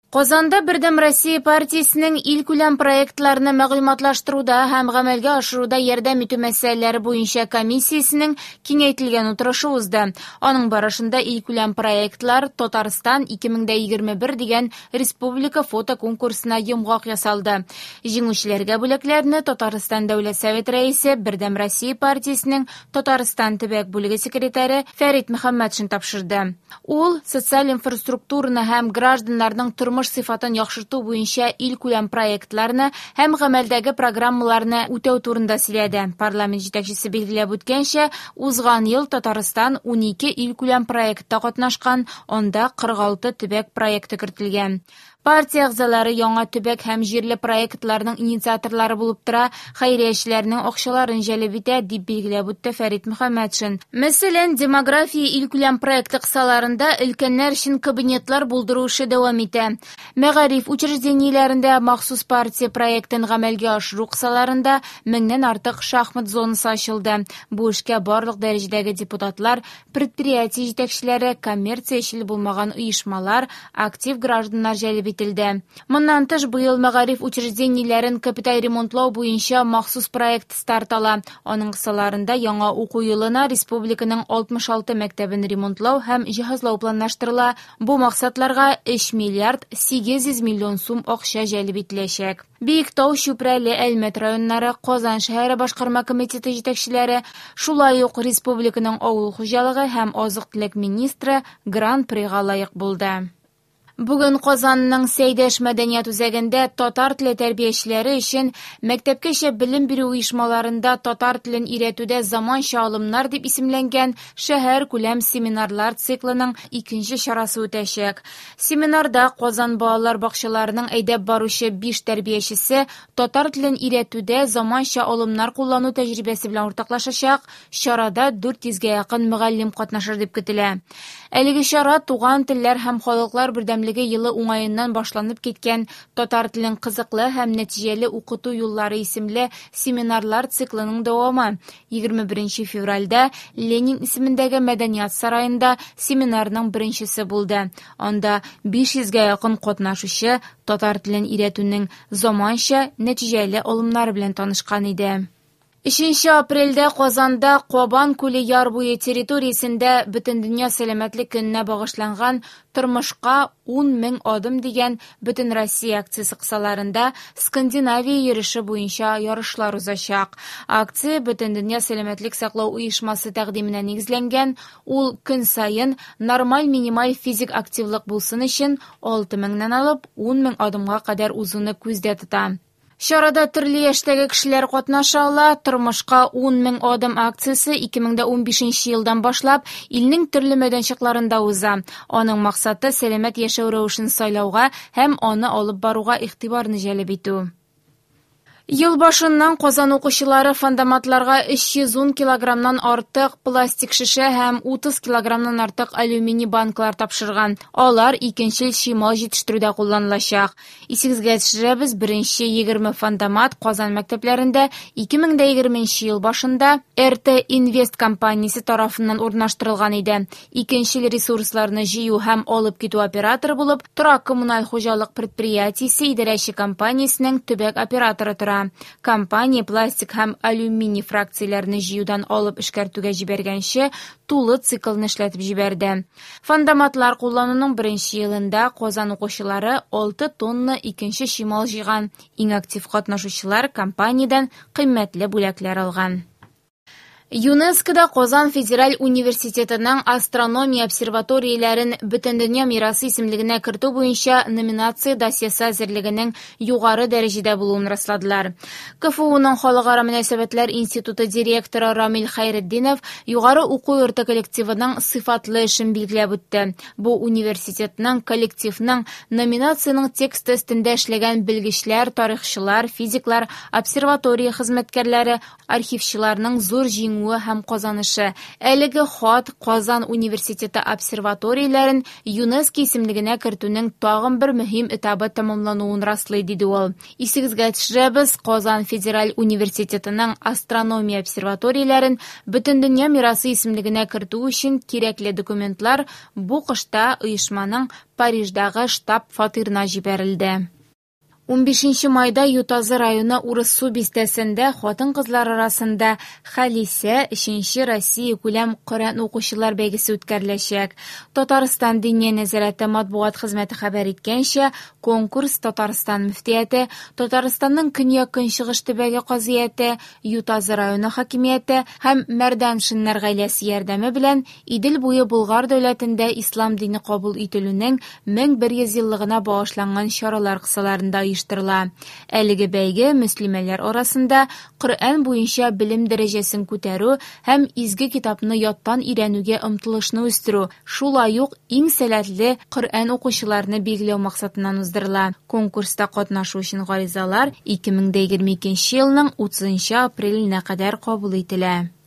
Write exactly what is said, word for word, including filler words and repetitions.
Казанда Бердәм Россия партиясенең илкүләм проектларны мәгълүматлаштыруда һәм гамәлгә ашыруда ярдәм итү мәсьәләләре буенча комиссиясенең киңәйтелгән утырышы узды. Аның барышында илкүләм проектлар Татарстан ике мең егерме бер дигән республика фото конкурсына йомгак ясалды. Җиңүчеләргә бүләкләрне Татарстан Дәүләт Советы рәисе, Бердәм Россия партиясенең Татарстан төбәк бүлеге секретаре Фәрит Мөхәммәтшин тапшырды. Ул социаль инфраструктураны һәм гражданнарның тормыш сыйфатын яхшырту буенча илкүләм проектларны һәм гамәлдәге программаларны үтәү турында сөйләде. Парламент җитәкчесе билгеләп үткәнчә, узган ел Татарстан унике илкүләм проектта катнашкан, анда кырык алты төбәк проекты кертелгән. Партия әгъзалары яңа төбәк һәм җирле проектларның инициаторлары булып тора, хәйриячеләрнең акчаларын җәлеп итә, дип билгеләп үтте Фәрит Мөхәммәтшин. Мәсәлән, демография илкүләм проекты кысаларында өлкәннәр өчен кабинетлар булдыру эше дәвам итә. Мәгариф учреждениеләрендә махсус партия проектын гамәлгә ашыру кысаларында меңнән артык шахмат зонасы ачылды. Бу эшкә барлык дәрәҗәдәге депутатлар, предприятие җитәкчеләре, коммерциячел булмаган оешмалар, актив гражданнар җәлеп ителде. Моннан тыш, быел мәгариф учреждениеләрен капиталь ремонтлау буенча махсус проект старт ала. Аның кысаларында яңа уку елына республиканың алтмыш алты мәктәбен ремонтлау һәм җиһазлау планлаштырыла. Бу максатларга өч миллиард сигез йөз миллион сум акча җәлеп ителәчәк. Биектау, Чүпрәле, Әлмәт районнары, Казан шәһәре башкарма комитеты җитәкчеләре, шулай ук республиканың авыл хуҗалыгы һәм азык-төлек министры Гран-прига лаек булды. Бүген Казанның Сәйдәш мәдәният үзәгендә татар теле тәрбиячеләре өчен мәктәпкәчә белем бирү оешмаларында татар телен өйрәтүдә заманча алымнар дип исемләнгән шәһәр күләм семинарлар циклының икенче чарасы үтәчәк. Семинарда Казан балалар бакчаларының әйдәп баручы биш тәрбиячесе татар телен өйрәтүдә заманча алымнар куллану тәҗрибәсе белән уртаклашачак. Чарада дүрт йөзгә якын мөгаллим катнашыр дип көтелә. Әлеге чара туган телләр һәм халыклар бердәмлеге елы уңаеннан башланып киткән татар телен кызыклы һәм нәтиҗәле укыту юллары исемле семинарлар циклының дәвамы. Егерме беренче февральдә Ленин исемендәге мәдәният сараенда семинарның беренчесе булды. Анда биш йөзгә якын катнашучы татар телен өйрәтүнең заманча нәтиҗәле алымнары белән танышкан иде. Өченче апрельдә Казанда Кабан күле яр буе территориясендә Бөтендөнья сәламәтлек көненә багышланган Тормышка ун мең адым дигән Бөтенроссия акциясе кысаларында Скандинавия йөреше буенча ярышлар узачак. Акция Бөтендөнья сәламәтлек саклау оешмасы тәкъдименә нигезләнгән. Ул көн саен нормаль минималь физик активлык булсын өчен алты меңнән алып ун мең адымга кадәр узуны күздә тота. Чарада төрле яшьтәге кешеләр катнаша ала. Тормышка ун мең адым акциясе ике мең дә унбишенче елдан башлап илнең төрле мәйданчыкларында уза. Аның максаты сәламәт яшәү рәвешен сайлауга һәм аны алып баруга игътибарны җәлеп итү. Ел башыннан Казан укучылары фандоматларга өч йөз ун килограммнан артык пластик шешә һәм утыз килограммнан артык алюминий банкалар тапшырган. Алар икенчел чимал җитештерүдә кулланылачак. Исегезгә төшерәбез, беренче егерме фандомат Казан мәктәпләрендә ике мең дә егерменче ел башында Р Т Инвест компаниясе тарафыннан урнаштырылган иде. Икенчел ресурсларны җыю һәм алып китү операторы булып Торак коммуналь хуҗалык предприятиесе идарәче компаниясенең төбәк операторы тора. Компания пластик һәм алюминий фракцияләрне җыюдан алып эшкәртүгә җибәргәнче тулы циклны эшләтеп җибәрде. Фандоматлар куллануның беренче елында Казан укучылары алты тонна икенче чимал җыйган. Иң актив катнашучылар компаниядән кыйммәтле бүләкләр алган. ЮНЕСКОда Казан федераль университетының астрономия обсерваторияләрен Бөтендөнья мирасы исемлегенә кертү буенча номинация досьесы әзерлегенең югары дәрәҗәдә булуын расладылар. К Ф Уның Халыкара мөнәсәбәтләр институты директоры Рамил Хәйретдинов югары уку йорты коллективының сыйфатлы эшен билгеләп үтте. Бу университетның коллективның номинациянең тексты өстендә эшләгән белгечләр, тарихчылар, физиклар, обсерватория хезмәткәрләре, архивчыларның зур җиңүе җиңүе һәм казанышы. Әлеге хат Казан университеты обсерваторияләрен ЮНЕСКО исемлегенә кертүнең тагын бер мөһим этабы тәмамлануын раслый, диде ул. Исегезгә төшерәбез, Казан федераль университетының астрономия обсерваторияләрен Бөтендөнья мирасы исемлегенә кертү өчен кирәкле документлар бу кышта оешманың Париждагы штаб-фатирына җибәрелде. Унбишенче майда Ютазы районы Урыссу бистәсендә хатын-кызлар арасында Халисә өченче Россия күләм Коръән укучылар бәйгесе үткәреләчәк. Татарстан Диния нәзарәте матбугат хезмәте хәбәр иткәнчә, конкурс Татарстан мөфтияте, Татарстанның көньяк-көнчыгыш төбәге казыяте, Ютазы районы хакимияте һәм Мәрданшиннар гаиләсе ярдәме белән Идел буе Болгар дәүләтендә ислам дине кабул ителүнең мең бер йөз еллыгына багышланган чаралар кысаларында оештырыла. Әлеге бәйге мөслимәләр арасында Коръән буенча белем дәрәҗәсен күтәрү һәм изге китапны яттан өйрәнүгә омтылышны үстерү, шулай ук иң сәләтле Коръән укучыларны билгеләү максатыннан уздырыла. Конкурста катнашу өчен гаризалар ике мең дә егерме икенче елның утызынчы апреленә кадәр кабул ителә.